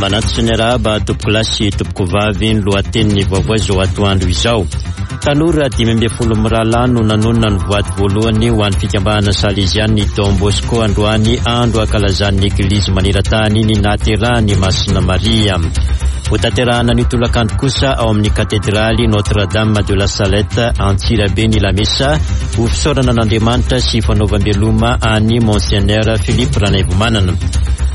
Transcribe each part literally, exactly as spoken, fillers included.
Manantso ny arahaba tompokolahy sy tompokovavy ny lohatenin'ny vaovao izao atoandro izao. Tanora dimy ambin'ny folo mirahalahy no nanonona ny voady voalohany ho an'ny fikambanana Salezian'ny Don Bosco androany, andro ankalazan'ny Eglizy maneran-tany ny nahaterahan'i Masina Maria. Hotanterahana ny tolakandro kosa ao amin'ny katedraly Notre-Dame de la Salette Antsirabe ny lamesa ho fisaorana an'Andriamanitra sy fanaovam-beloma an'i Monseigneur Philippe Ranaivomanana.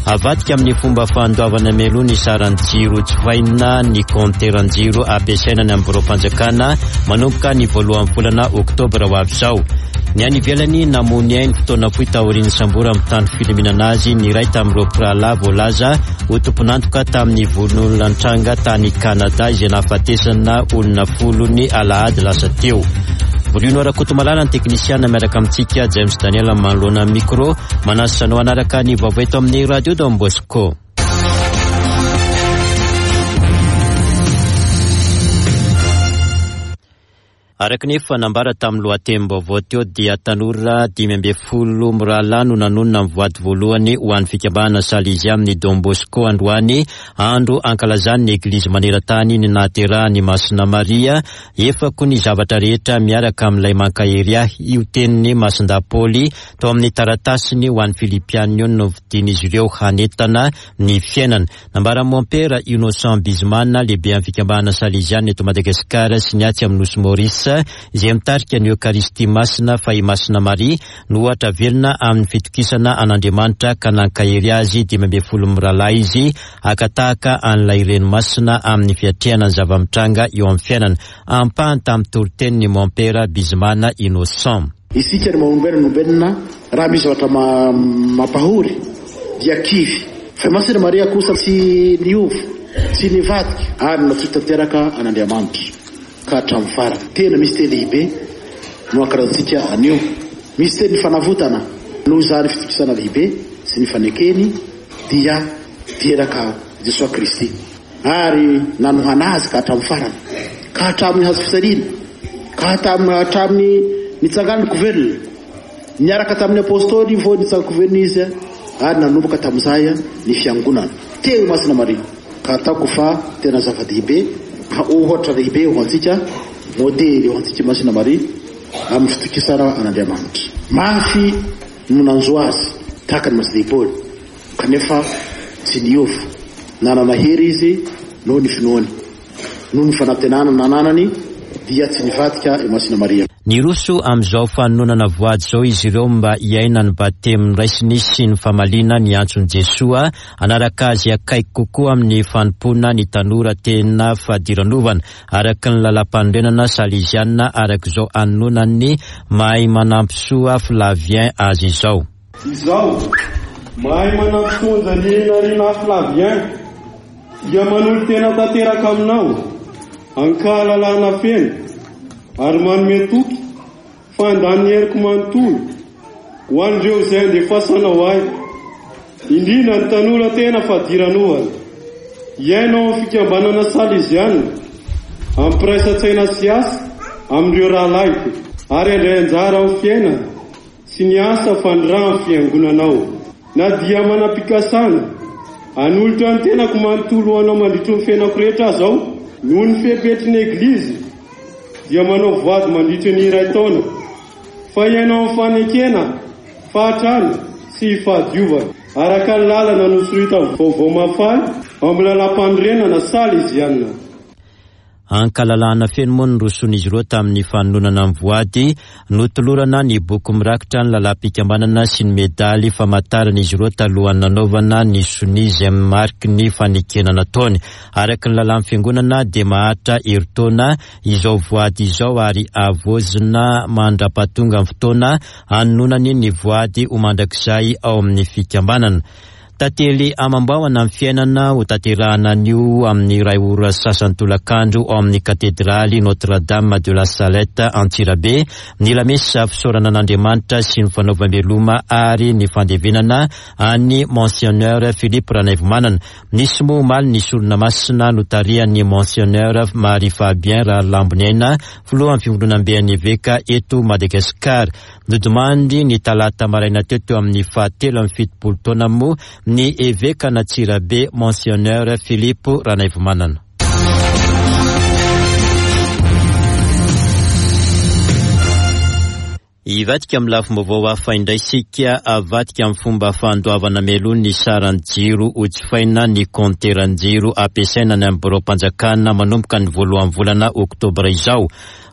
Avadika amin'ny fomba fandoavana mialoha ny saran'ny jiro jifaina ny kaonteran-jiro ampiasaina ny amin'ny biraom-panjakana manomboka ny voalohan'ny volana oktobra ho avy izao. Ny any ivelany, namoy ainy fotoana fohy taorian'ny samboran'ny mpitandro filaminana azy ny iray tamin'ireo mpirahalahy voalaza ho tompon'antoka tamin'ny vonoan'olona nitranga tany Kanada izay nahafatesana olona folo ny alahady lasa teo. Bruno Rakotomalala ny teknisiana miaraka amintsika, James Daniel manoloana ny micro, manasa anao hanaraka ny vaovao eto amin'ny Radio Don Bosco. Araka ny efa nambara tamin'ny lohatenim-baovao teo dia tanora dimy ambin'ny folo mirahalahy no nanonona ny voady voalohany ho an'ny fikambanana Salezian'ny amin'ny Don Bosco androany, andro ankalazan'ny Eglizy maneran-tany ny nahaterahan'i Masina Maria. Efako ny zavatra rehetra miaraka amin'ilay mankahery ahy, io tenin'i Masindahy Paoly tao amin'ny taratasiny ho an'ny Filipianina io no novidian'izy ireo hanentana ny fiainana. Nambaran'i Mompera Innocent Bizimana, lehibe amin'ny fikambanana Salezianina eto Madagasikara sy ny atsy amin'ny Nosy Maurice, izay mitarika ny Eokaristia Masina fa i Masina Maria no ohatra velona amin'ny fitokisana an'Andriamanitra ka nankahery azy dimy ambin'ny folo mirahalahy izy haka tahaka an'ilay Reny Masina amin'ny fiatrehana ny zava-mitranga eo amin'ny fiainana. Ampahany tamin'ny toriteniny Mompera Bizimana Innocent. Isika ny maha-olombelona olombelona, raha misy zavatra mampahory dia kivy. Fa Masina Maria kosa tsy niova, tsy nivadika ary natoky tanteraka an'Andriamanitra ka hatramin'ny farany. Tena misy teny lehibe no ankalazantsika anio. Misy teny fanavotana noho izany fitokisana lehibe sy ny fanekeny dia teraka Jesoa Kristy ary nanohana azy ka hatramin'ny farany, ka hatramin'ny hazo fijaliana, ka hatramin'ny nitsanganany velona niaraka tamin'ny apôstôly vao nitsangan-ko velona izy ary nanomboka tamin'izay ny fiangonana teo Masina Maria. Ka ataoko fa tena zava-dehibe, ohatra lehibe ho antsika, modely ho antsika Masina Maria amin'ny fitokisana an'Andriamanitra. Mafy no nanjo azy tahaka ny Masindahy Paoly, kanefa tsy niova. Nanana hery izy noho ny finoany, noho ny fanantenana nananany dia tsy nivadika i Masina Maria. Niroso amin'izao fanononana voady izao izy ireo mba hiaina ny batemy raisiny sy ny famaliana ny antson'i Jesoa hanaraka azy akaiky kokoa amin'ny fanompoana ny tanora tena fadiranovana araka ny lalam-panorenana salezianina araka izao anononan'ny mahay manampisoa Flavien azy izao. Izao mahay manampisoa Anjanirina Flavien dia manolo-tena tanteraka aminao ankahalalana feno ary manome toky fa handany heriko manontolo ho an'ireo izay andefasanao ahy, indrindra ny tanora tena fadiranovana hiaina ao amin'ny fikambanana Salezianina amin'ny firaisan-tsaina sy asa amin'ireo rahalahiko ary handray anjara amin'ny fiainana sy ny asa fandrahan'ny fiangonanao. Na dia manam-pikasana hanolotra ny tenako manontolo ho anao mandritry ny fiainako rehetra aza aho, noho ny fepetry ny Eglizy dia manao voady mandritry ny iray taona fa hiaina ao amin'ny fanekena fahatrana sy fahadiovana araka ny lalana nosoritan'ny vaovao mahafaly ao amin'ny lalam-panorenana Salezianina. Ankalalahana feno moa ny roson'izy ireo tamin'ny fanononana ny voady, notolorana ny boky mirakitra ny lalam-pikambanana sy ny medaly famantarana izy ireo talohan'ny nanaovana ny sonia izay mariky ny fanekena nataony. Araka ny lalàn'ny fiangonana dia maharitra herintaona izao voady izao ary havaozina mandra-pahatonga ny fotoana hanononany ny voady ho mandrakizay ao amin'ny fikambanana. Tantely amam-bahoana ny fiainana ho tanterahana anio amin'ny iray ora sasany tolakandro ao amin'ny katedraly Notre-Dame de la Salette Antsirabe ny lamesa fisaorana an'Andriamanitra sy ny fanaovam-beloma ary ny fandevenana an'i Monseigneur Philippe Ranaivomanana. Nisy moa omaly ny sorona masina notarihan'ny Monseigneur Marie Fabien Rahalamboniaina, filohan'ny fivondronamben'ny eveka eto Madagasikara. Nodimandry ny talata maraina teo teo amin'ny fahatelo amin'ny fitopolo taona moa ny evekan'Antsirabe Monseigneur Philippe Ranaivomanana. Hivadika amin'ny lafim-baovao hafa indray isika. Avadika amin'ny fomba fandoavana mialoha ny saran'ny jiro ho jifaina ny kaonteran-jiro ampiasaina any amin'ny biraom-panjakana manomboka ny voalohan'ny volana oktobra izao.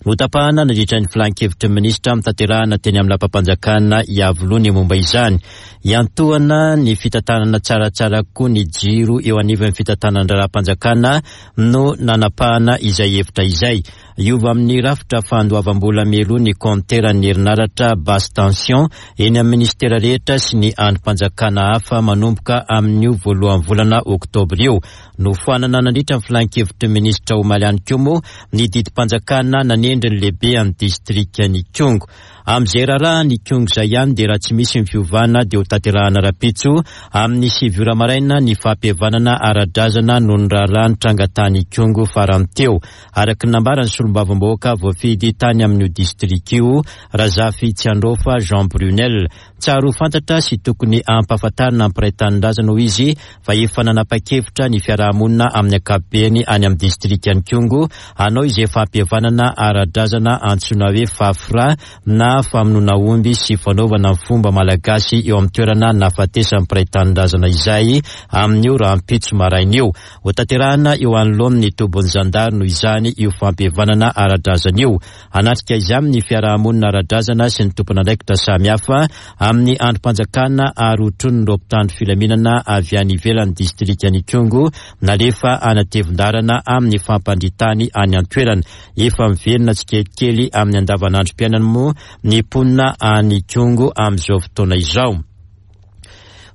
Notapahana nandritra ny filan-kevitry ny minisitra mitanterahana teny amin'ny lapam-panjakana Iavoloha ny momba izany. Iantohana ny fitantanana tsaratsara koa ny jiro eo anivon'ny fitantanan-draharaham-panjakana no nanapahana izay hevitra izay. Hiova amin'ny rafitra fandoavam-bola mialoha ny kaonteran'ny herinaratra basse tension eny amin'ny ministera rehetra sy ny andrim-panjakana hafa manomboka amin'io voalohan'ny volana oktobra io. Nofoanana nandritra ny filan-kevitry ny minisitra omaly ihany koa moa ny didim-panjakana nanendry ny lehibe amin'ny distrikan'Ikongo. Amin'izay raharaha ny Ikongo izay ihany dia raha tsy misy ny fiovana dia ho tanterahana rahampitso amin'ny sivy ora maraina ny fampihavanana ara-drazana noho ny raharaha nitranga tany Ikongo farany teo. Araka ny nambaran'ny solombavambahoaka voafidy tany amin'io distrika io, Razafy Tsiandrofa Jean Brunel. Tsara ho fantatra sy tokony hampahafantarina ny mpiray tanindrazana hoy izy fa efa nanapa-kevitra ny fiarahamonina amin'ny ankapobeny any amin'ny distrikan'Ikongo hanao izay fampihavanana ara-drazana antsoina hoe fafra na famonoana omby sy fanaovana ny fomba malagasy eo amin'ny toerana nahafatesan'ny mpiray tanindrazana izay amin'io rahampitso maraina io. Ho tanterahana eo anoloan'ny tobin'ny zandary noho izany io fampihavanana ara-drazana io. Hanatrika izany ny fiarahamonina ara-drazana sy ny tompon'andraikitra samihafa amin'ny andrim-panjakana ary hotronin'ireo mpitandro filaminana avy any ivelan'ny distrikan'Ikongo nalefa anatevin-darana amin'ny fampandritany any an-toerana. Efa miverina tsikelikely amin'ny andavanandrom-piainana moa ny mponina any Ikongo amin'izao fotoana izao.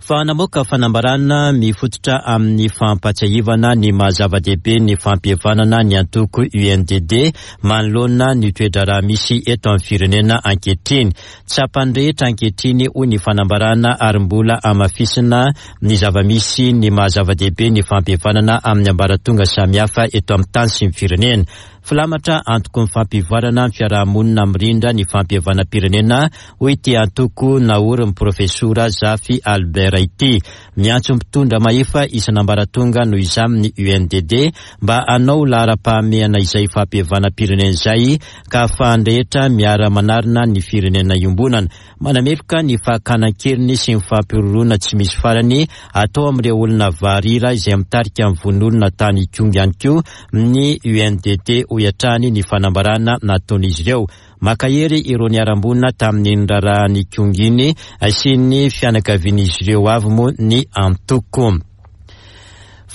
Fa namoaka fanambarana mifototra amin'ny fampatsiahivana ny maha-zava-dehibe ny fampihavanana ny antoko U N D D manoloana ny toe-draharaha misy eto amin'ny firenena ankehitriny. Tsapan'ny rehetra ankehitriny hoy ny fanambarana ary mbola hamafisina ny zava-misy ny maha-zava-dehibe ny fampihavanana amin'ny ambaratonga samihafa eto amin'ny tany sy ny firenena. Filamatra antoko ny fampivoarana ny fiarahamonina mirindra ny fampihavanam-pirenena hoy ity antoko naorin'ny profesora Zafy Albert ity. Miantso mpitondra mahefa isan'ambaratonga noho izany ny U N D D mba hanao laharam-pahamehana izay fampihavanam-pirenena izay ka ahafahan'ny rehetra miara-manarina ny firenena iombonana. Manameloka ny fakana an-keriny sy ny fampihorohoroana tsy misy farany atao amin'ireo olona varira izay mitarika ny vono olona tany Ikongo ihany koa ny U N D D hoy hatrany ny fanambarana nataon'izy ireo. Makahery ireo niharam-boina tamin'ny raharahan'Ikongo iny sy ny fianakavian'izy ireo avy moa ny antoko.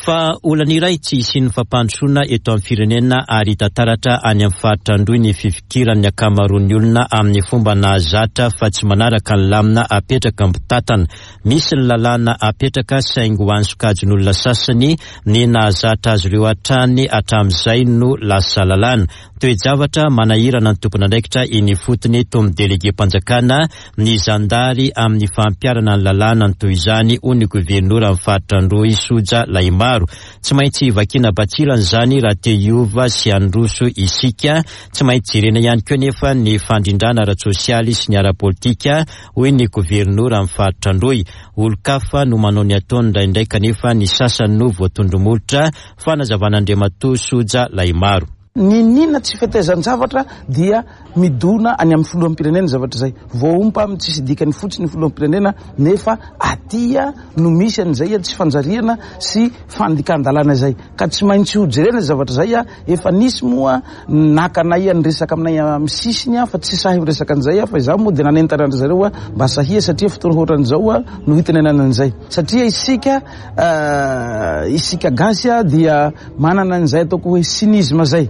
Fa olana iray tsy hisian'ny fampandrosoana eto amin'ny firenena ary hita taratra any amin'ny faritra Androy ny fifikiran'ny ankamaroan'ny olona amin'ny fomba nahazatra fa tsy manaraka ny lamina apetraka mpitantana. Misy ny lalàna apetraka saingy ho an'ny sokajin'olona sasany ny nahazatra azy ireo hatrany hatramin'izay no lasa lalàna. Toe-javatra manahirana ny tompon'andraikitra eny ifotony toy ny delege-mpanjakana ny zandary amin'ny fampiharana ny lalàna ny toy izany hoy ny governora amin'ny faritra Androy Soja Lahimaro. Tsy maintsy vakiana batsilana izany raha te hiova sy handroso isika. Tsy maintsy jerena ihany koa nefa ny fandrindrana ara-tsosialy sy ny ara-politika hoy ny governora amin'ny faritra Androy. Olon-kafa no manao ny ataony indraindray kanefa ny sasany no voatondro-molotra. Fanazavan'Andriamatoa Soja Lahimaro. Ninina tsy fetezan-javatra dia midona any amin'ny filoham-pirenena zavatra izay. Voaompa amin'ny tsisy dikany fotsiny ny filoham-pirenena nefa atia no misy an'izay tsy fanjariana sy fandikan-dalàna izay. Ka tsy maintsy ho jerena zavatra izay. Efa nisy moa nakanay ny resaka aminay amin'ny sisiny fa tsy sahy miresaka an'izay fa izaho moa dia nanentana an-dry zareo mba sahia satria fotoana ohatran'izao no hitenenana an'izay. Satria isika, isika gasy dia manana an'izay ataoko hoe cynisme zay.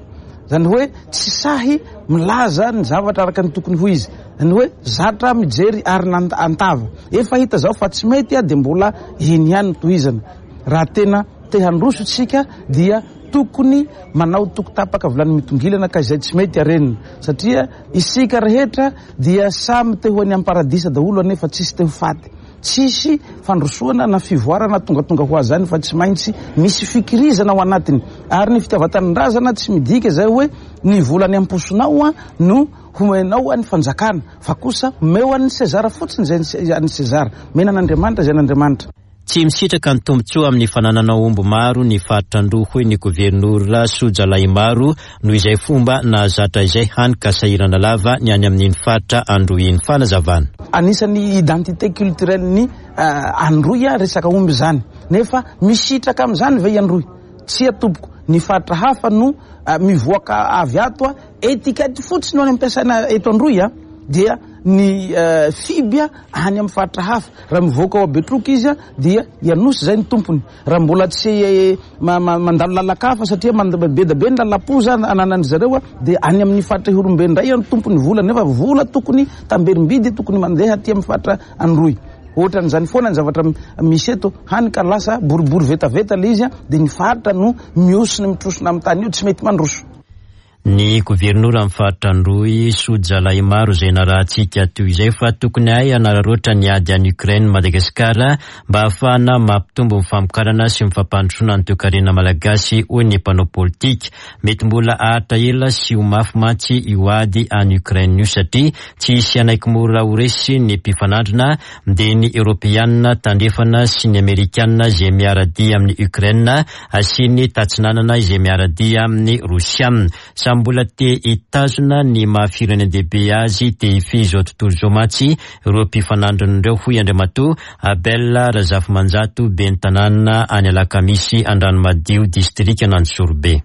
Zany hoe tsy sahy milaza ny zavatra araka ny tokony ho izy. Zany hoe zatra mijery ary antava. Efa hita zao fa tsy mety dia mbola eny ihany no tohizana. Raha tena te handroso tsika dia tokony manao toko tapaka vilany mitongilana ka izay tsy mety arenina. Satria isika rehetra dia samy te ho any amin'ny paradisa daholo nefa tsisy te ho faty. Tsisy fandrosoana na fivoarana tongatonga ho azy zany fa tsy maintsy misy fikirizana ao anatiny. Ary ny fitiavan-tanindrazana tsy midika izay hoe ny vola any am-posonao no homenao an'ny fanjakana, fa kosa omeo an'ny Sezara fotsiny izay an'ny Sezara, mena an'Andriamanitra izay an'Andriamanitra. Tsy misitraka ny tombontsoa amin'ny fananana omby maro ny faritra Androy, hoy ny governora Soja Lahimaro, noho izay fomba nahazatra izay hany ka sahirana lava ny any amin'iny faritra Androy iny. Fanazavana. Anisan'ny identité culturelle ny Androy resaka omby izany, nefa misitraka amin'izany ve i Androy? Tsia tompoko, ny faritra hafa no mivoaka avy ato, étiquette fotsiny no any ampiasaina eto Androy, dia ny fiby any amin'ny faritra hafa. Raha mivoaka ao Betroka izy dia Ianosy izay ny tompony. Raha mbola tsy mandalo lalakafa satria be da be ny lalapoza ananan'ny zareo, dia any amin'ny faritra Ihorombe indray ny tompony vola, nefa vola tokony tamberim-bidy tokony mandeha aty amin'ny faritra Androy. Ohatran'izany foana ny zavatra misy eto, hany ka lasa boribory vetaveta ilay izy, dia ny faritra no miosina mitrosona amin'ny tany io, tsy mety mandroso. Ny governora amin'ny faritra Androy Soja Lahimaro izay narahantsika toy izay fa tokony hay hanararaotra ny ady any Ukraine Madagasikara mba hahafahana mampitombo ny famokarana sy ny fampandrosoana ny toekarena malagasy, hoy ny mpanao politika. Mety mbola haharitra ela sy ho mafy mantsy io ady any Ukraine io, satria tsy hisy hanaiky mora ho resy ny mpifanandrina, dia ny Eoropeanina tandrefana sy ny Amerikanina izay miara-dia amin'ny Ukraine sy ny tatsinanana izay miara-dia amin'ny Rosiana. Samy mbola te hitazona ny maha firenendehibe azy te hifehy izao tontolo izao mantsy ireo mpifanandrin'ireo, hoy Andriamatoa Abel Razafimanjato, ben'ny tanàna any Alakamisy Andranomadio, distrikan'Anjozorobe.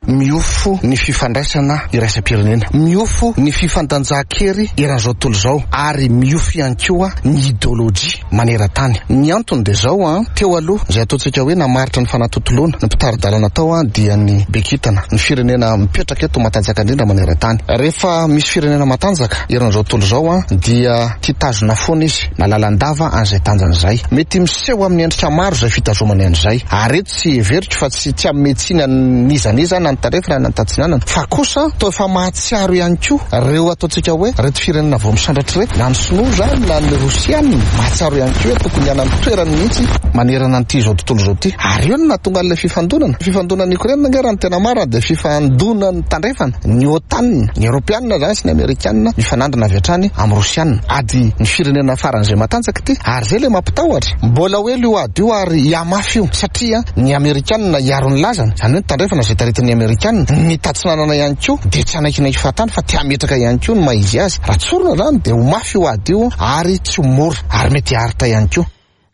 Miofo ny fifandraisana iraisam-pirenena, miofo ny fifandanjan-kery eran'izao tontolo izao, ary miofo ihany koa ny ideolojia maneran-tany. Ny antony dia izao, an, teo aloha izay ataontsika hoe namaritra ny fanatontoloana, ny mpitari-dalana tao an dia ny bekitana, ny firenena mipetraka eto matanjaka indrindra maneran-tany. Rehefa misy firenena matanjaka eran'izao tontolo izao an dia tia tazona foana izy na lalandava an'izay tanjany izay. Mety miseho amin'ny endrika maro izay fitazomany an'izay, ary eto tsy heveriko fa tsy tsy hanome tsiny an'iza n'iza na ny tandrefana na ny tatsinanana, fa kosa toa efa mahatsiaro ihany koa ireo ataontsika hoe reto firenena vao misandratra ireto, na ny sinoa zany na ny rosiana, mahatsiaro ihany koa hoe tokony hanana toerany mihitsy manerana an'ity izao tontolo izao ity. Ary eo no nahatonga an'ilay fifandonana. Fifandonan'ny Ukraine ange raha ny tena marina dia fifandonan'ny tandrefana, ny OTAN, ny Eoropeanina zany sy ny Amerikanina mifanandrina avy hatrany amin'ny Rosiana. Ady ny firenena faran'izay matanjaka ity, ary izay ilay mampitahotra. Mbola ho ela io ady io ary hihamafy io, satria ny Amerikanina hiaro ny lazany, izany hoe ny tandrefana izay taritin'ny Amerikanina, ny tatsinanana ihany koa dia tsy hanaikinaiky fahatany fa te hametraka ihany koa ny maha izy azy. Raha tsorina zany dia ho mafy io ady io ary tsy ho mora, ary mety haharitra ihany koa.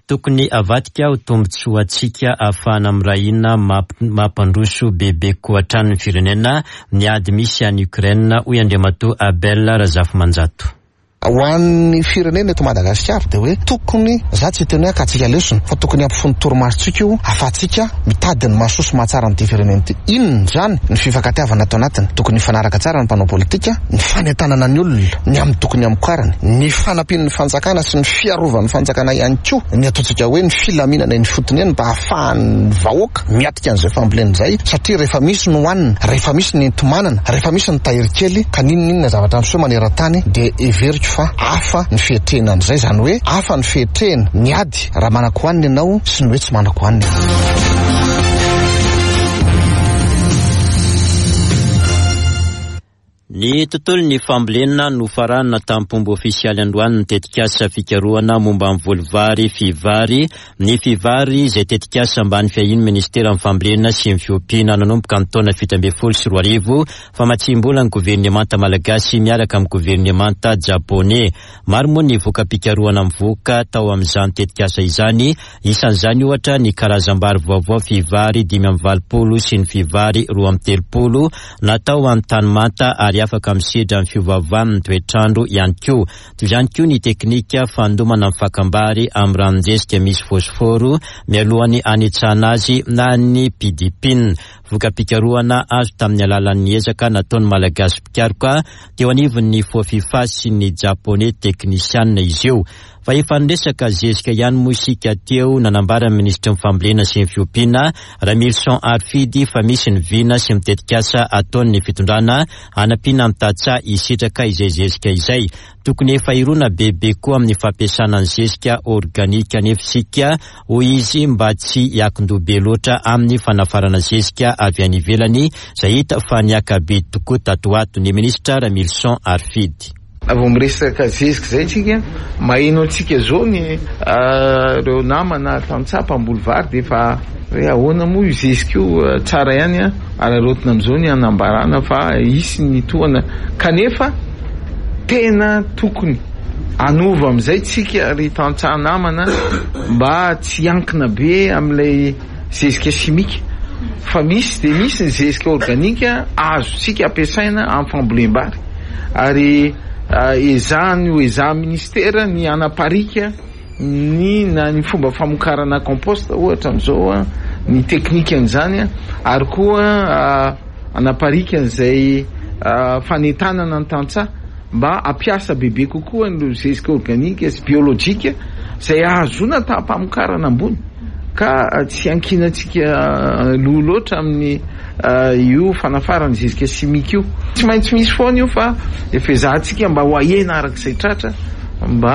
Tokony avadika ho tombontsoantsika ahafahana mirahina mampandroso bebe koa hatrany ny firenena ny ady misy any Ukraine, hoy Andriamatoa Abel Razafimanjato. Ho an'ny firenena eto Madagasikara dia hoe tokony, za tsy hiteny hoe akatsika lesona, fa tokony hampifono torimasontsika io ahafahantsika mitady ny mahasoa sy mahatsara an'ity firenena ity. Inona izany ny fifankatiavana ato anatiny? Tokony hifanaraka tsara ny mpanao politika, ny fanentanana ny olona ny amin'ny tokony hamokarany, ny fanampian'ny fanjakana sy ny fiarovan'ny fanjakana ihany koa ny ataontsika hoe ny filaminana eny fotony eny mba hahafahan'ny vahoaka miatrika an'izay fambolena izay, satria rehefa misy ny hohanina, rehefa misy ny enti-manana, rehefa misy ny tahiry kely, ka n'inon'inona zavatra miseho maneran-tany dia heveriko fa hafa ny fiatrehana an'izay, izany hoe hafa ny fiatrehana ny ady raha manako hohanina ianao sy ny hoe tsy manako hohanina. Ny tontolon'ny fambolena no faranana tamin'ny ofisialy androany ny tetikasa fikarohana momba ny voly vary fivary. Ny fivary izay tetikasa ambany fiahian'ny ministeran'ny fambolena sy ny fiompiana nanomboka ny taona fito ambin'ny folo sy roa arivo, famatsiam-bola ny governemanta malagasy miaraka amin'ny governemanta japoney. Maro moa ny voka-pikarohana mivoaka tao amin'izany tetikasa izany, isan'izany ohatra ny karazam-bary vaovao fivary dimy amby valopolo sy ny fivary roa amby telopolo natao amin'ny tany manta ary afaka misedra ny fiovaovan'ny toetrandro ihany koa. Toy izany koa ny teknika fandomana ny fakam-bary amin'ny ranon-jezika misy fosforo mialohan'ny hanetsana azy na ny pidipina. Voka-pikarohana azo tamin'ny alalan'ny ezaka nataon'ny Malagasy mpikaroka teo anivon'ny Fofifa sy ny Japoney teknisianina izy io. Fa efa niresaka zezika ihany moa isika teo, nanambara ny minisitry ny fambolena sy ny fiompiana Ramilison Harifidy fa misy ny vina sy ny tetikasa ataon'ny fitondrana hanampiana ny tantsaha hisitraka izay zezika izay. Tokony efa hirona bebe koa amin'ny fampiasana ny zezika organika nefa isika, hoy izy, mba tsy hiakin-doha be loatra amin'ny fanafarana zezika avy any ivelany izay hita fa niaka-bidy tokoa tato ato. Ny minisitra Ramilison Harifidy. Vao miresaka zezika izay tsika, maheno antsika zao ny ireo namana tantsaha mpamboly vary dia efa hoe ahoana moa io zezika io, tsara ihany araraotina amin'izao ny anambarana fa hisy ny tohana, kanefa tena tokony anova amin'izay tsika ry tantsaha namana mba tsy hiankina be amin'ilay zezika simika, fa misy dia misy ny zezika organika azontsika ampiasaina amin'ny fambolem-bary, ary ezahany ho ezahan'ny ministera ny hanaparika ny na ny fomba famokarana compost ohatra amin'izao ny teknikan'izany, ary koa hanaparika an'izay fanentanana ny tantsaha mba hampiasa bebe kokoa ny zezika organika sy biolojika izay ahazoana taham-pamokarana ambony, ka tsy ankinantsika loha loatra amin'ny io fanafarana zezika simika io. Tsy maintsy misy foana io fa efa ezahantsika mba ho ahena arak'izay tratra mba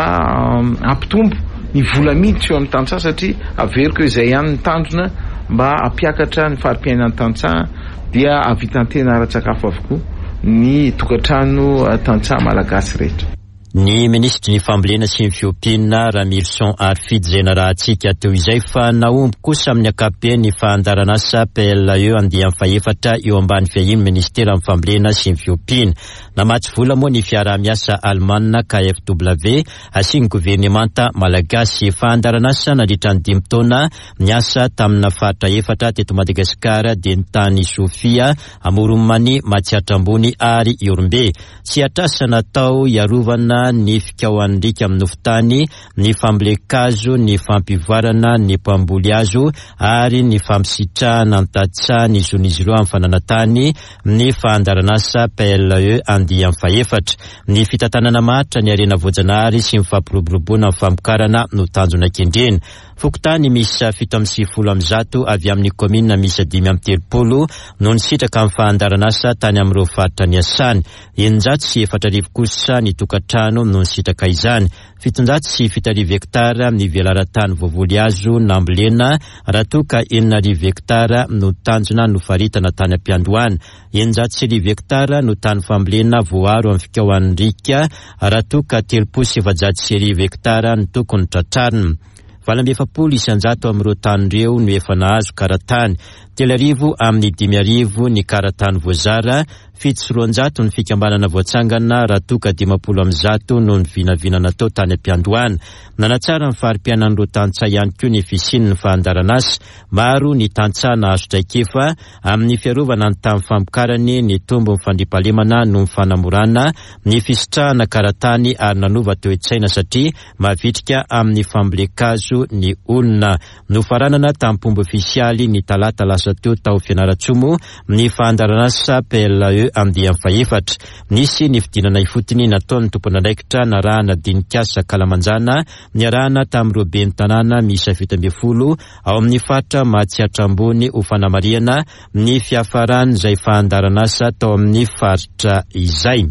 hampitombo ny vola miditra eo amin'ny tantsaha, satria averiko hoe izay ihany ny tanjona mba hampiakatra ny fari-piainan'ny tantsaha dia hahavitan-tena ara-tsakafo avokoa ny tokantrano tantsaha malagasy rehetra. Ny minisitry ny fambolena sy ny fiompiana Ramilison Harifidy izay narahantsika teo izay, fa nahomby kosa amin'ny ankapobeny ny fandaharanasa P L E andiany fahefatra eo ambany fiahian'ny ministeran'ny fambolena sy ny fiompiana. Namatsy vola moa ny fiaraha-miasa Alemana K F W asian'ny governemanta malagasy. Fandaharanasa nandritra ny dimy taona niasa tamina faritra efatra teto Madagasikara dia ny tany Sofia, Amoron'i Mania, Matsiatra Ambony ary Ihorombe. Tsy atrasa natao hiarovana ny fikaohan'ny riaka amin'ny nofon-tany, ny fambolen-kazo, ny fampivoarana ny mpamboly hazo ary ny fampisitrahana ny tantsaha ny zon'izy ireo amin'ny fananantany ny fandaharanasa P L E andiany fahefatra. Ny fitantanana maharitra ny harena voajanahary sy ny fampiroboroboana ny famokarana no tanjona kendrena. Fokontany miisa fito amby sivifolo amby zato avy amin'ny kaominina miisa dimy amby telopolo no nisitraka amin'ny fandaharanasa tany amin'ireo faritra niasany. Eninjato sy efatra arivo kosa ny tokantrano no nisitraka izany. Fitonjato sy fito arivo hektara ny velaran-tany voavoly hazo nambolena, raha toa ka enina arivo hektara no tanjona nofaritana tany am-piandohana. Eninjato sy arivo hektara no tany fambolena voaaro amin'ny fikaohan'ny riaka, raha toa ka telopolo sy efajato sy arivo hektara no tokony tratrarina. Valo amby efapolo isanjato amin'ireo tany ireo no efa nahazo karatany. Telo arivo amin'ny dimy arivo ny karatany voazara, fito sy roanjato ny fikambanana voatsangana, raha toa ka dimampolo amby zato no ny vinavina natao tany am-piandohana. Nanatsara ny fari-piainan'ireo tantsaha ihany koa ny fisian'ny fandaharanasa. Maro ny tantsaha nahazo traikefa amin'ny fiarovana ny tany famokarany, ny tombon'ny fandriampahalemana noho ny fanamorana ny fisitrahana karatany ary nanova toe-tsaina satria mavitrika amin'ny fambolen-kazo ny olona. Nofaranana tamin'ny fomba ofisialy ny talata lasa teo tao Fianarantsoa moa ny fandaharanasa P L E andiany fahefatra. Nisy ny fidinana ifotony nataon'ny tompon'andraikitra narahana dinikasa kalamanjana niarahana tamin'ireo ben'ny tanàna miisa fito ambin'ny folo ao amin'ny faritra Matsiatra Ambony ho fanamarihana ny fiafaran'izay fandaharanasa tao amin'ny faritra izay.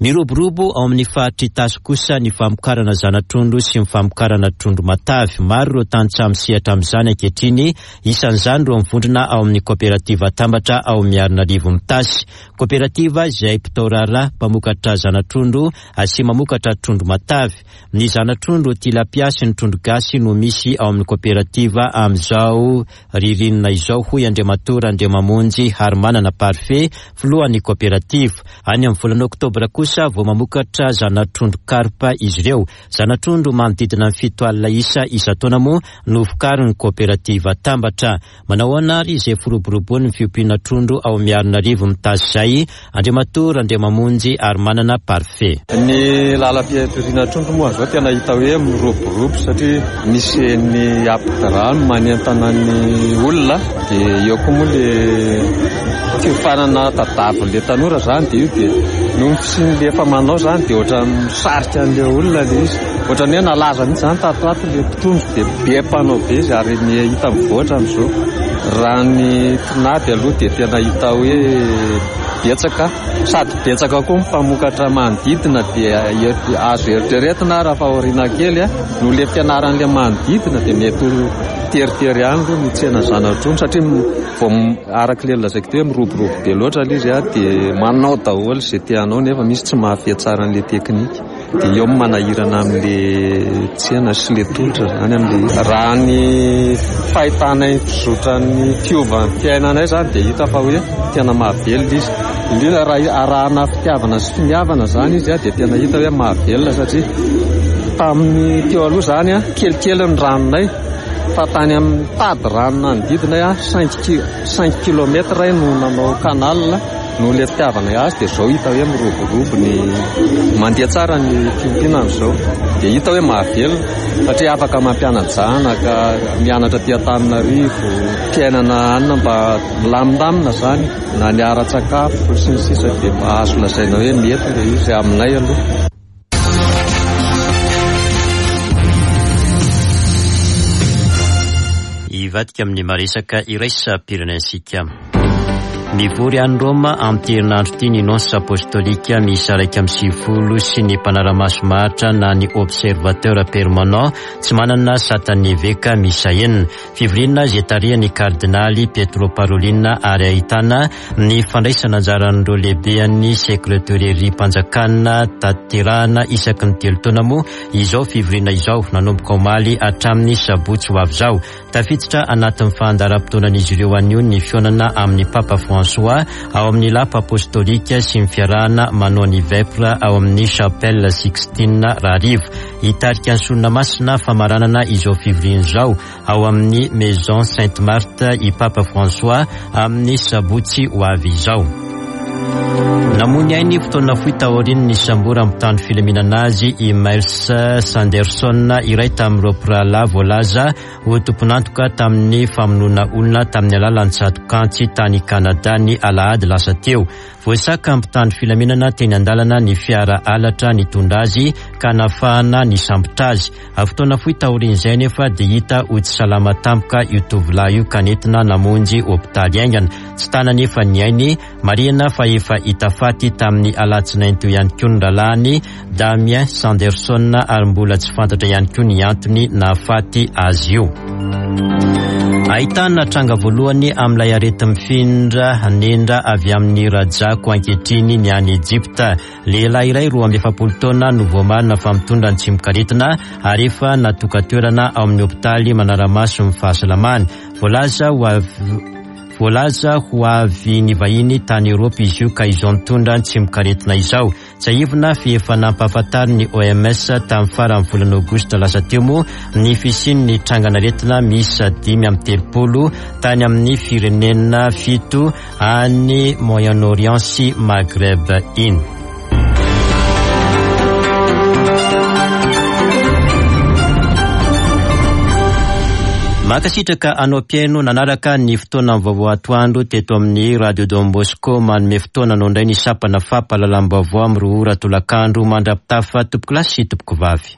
Miroborobo ao amin'ny faritra Itasy kosa ny famokarana zana-trondro sy ny famokarana trondro matavy. Maro ireo tantsaha misehatra amin'izany ankehitriny, isan'izany ireo mivondrona ao amin'ny kooperativa Tambatra ao Miarinarivo Itasy. Kooperativa izay mpitao raharaha mpamokatra zana-trondro sy mamokatra trondro matavy. Ny zana-trondro tilapia sy ny trondro gasy no misy ao amin'ny kooperativa amin'izao ririnina izao, hoy Andriamatoa Randriamamonjy Harimanana Parfait, filohan'ny kooperativa. Any amin'ny volana oktobra kosa vao mamokatra zana-trondro karpa izy ireo. Zana-trondro manodidina ny fito alina isa isan-taona moa no vokarin'ny kooperativa Tambatra. Manao ahoana ary izay firoborobon'ny fiompiana trondro ao Miarinarivo Itasy izay? Andriamatoa Randriamamonjy Harimanana Parfait. Ny lalam-pitoriana trondro moa zao tena hita hoe miroborobo satria misy ny ampidirano manentana ny olona, dia eo koa moa le Fiofanana tadiavin'ilay tanora zany dia io, dia noho ny fisian'ilay efa manao zany dia ohatran'ny misarika an'ilay olona ilay izy. Ohatran'ny hoe nalaza mihitsy zany tato ato ilay mpitondro dia be mpanao be izy ary hita mivoatra amin'izao. Raha ny tinady aloha dia tena hita hoe betsaka, sady betsaka koa ny mpamokatra manodidina dia azo eritreretina raha fa aoriana kely noho ilay fianaran'ilay manodidina dia mety ho teritery ihany aloha ny tsena zana-trondro satria vao araka ilay lazaiko teo hoe miroborobo be loatra ilay izy dia manao daholo izay te hanao nefa misy tsy mahafehy tsara an'ilay teknika. Dia eo manahirana amin'ilay tsena sy ilay tolotra zany amin'ilay. Raha ny fahitanay fizotran'ny fiovan'ny fiainanay zany dia hita fa hoe tena mahavelona izy. Indrindra raha arahana fitiavana sy finiavana zany izy dia tena hita hoe mahavelona satria tamin'ny teo aloha zany kelikely ny ranonay fa tany amin'ny tady rano nanodidina cinq kilomètres no nanao canal noho ilay fitiavana azy dia izao hita hoe miroborobo ny mandeha tsara ny fiompiana amin'izao dia hita hoe mahavelona satria afaka mampiana-janaka mianatra aty Antananarivo fiainana anina mba milamindamina zany na ny ara-tsakafo sy ny sisa dia azo lazaina hoe mety ilay izy aminay aloha. Hivadika amin'ny maresaka iraisam-pirenentsika. Mivory any Roma amin'ity herinandro ity ny nonce apostolika miisa iraika amby sivifolo sy ny mpanara-maso maharitra na ny observateur permanent tsy manana satan'ny eveka miisa enina. Fivoriana izay tarihan'ny kardinaly Pietro Parolin ary ahitana ny fandraisana anjaran'ireo lehiben'ny sekreterim-panjakana tanterahana isaky ny telo taona moa izao fivoriana izao nanomboka omaly hatramin'ny sabotsy ho avy izao. Tafiditra anatin'ny fandaharam-potoanan'izy ireo anio ny fihaonana amin'ny Papa François ao amin'ny lapa apostolika sy ny fiarahana manao ny vêpres ao amin'ny Chapelle Sixtine rahariva. Hitarika ny sorona masina famaranana izao fivoriana izao ao amin'ny Maison Sainte Marthe i Papa François amin'ny sabotsy ho avy izao. Namoy ainy fotoana fohy taorian'ny nisamboran'ny mpitandro filaminana azy i Miles Sanderson, iray tamin'ireo mpirahalahy voalaza ho tompon'antoka tamin'ny famonoana olona tamin'ny alalan'ny tsatokantsy tany Kanada ny alahady lasa teo. Voasaka mpitandro filaminana teny an-dalana ny fiara halatra nitondra azy ka nahafahana nisambotra azy. Fotoana fohy taorian'izay nefa dia hita ho tsy salama tampoka io tovolahy io ka nentina namonjy hopitaly haingana. Tsy tana nefa ny ainy. Marihina fa efa hita faty tamin'ny alatsinainy teo ihany koa ny rahalahiny Damien Sanderson ary mbola tsy fantatra ihany koa ny antony nahafaty azy io. Ahitana tranga voalohany amin'ilay areti-mifindra nendra avy amin'ny rajako ankehitriny ny any Ejipta. Lehilahy iray roa amby efapolo taona no voamarina fa mitondra ny tsimokaretina ary efa natoka-toerana ao amin'ny hopitaly manara-maso ny fahasalamany. Voalaza ho avy Voalaza ho avy ny vahiny tany Eoropa izy io ka izao nitondra ny tsimokaretina izao. Tsiahivina fa efa nampahafantarin'ny O M S tamin'ny faran'ny volana aogositra lasa teo moa ny fisian'ny trangan'aretina miisa dimy amby telopolo tany amin'ny firenena fito any Moyen-Orient sy Maghreb iny. Mankasitraka anao mpihaino nanaraka ny fotoana vaovao atoandro teto amin'ny Radio Don Bosco. Manome fotoana anao indray ny sampana fampahalalam-baovao amin'ny roa ora tolakandro mandra-pitafa tompoko lahy sy tompoko vavy.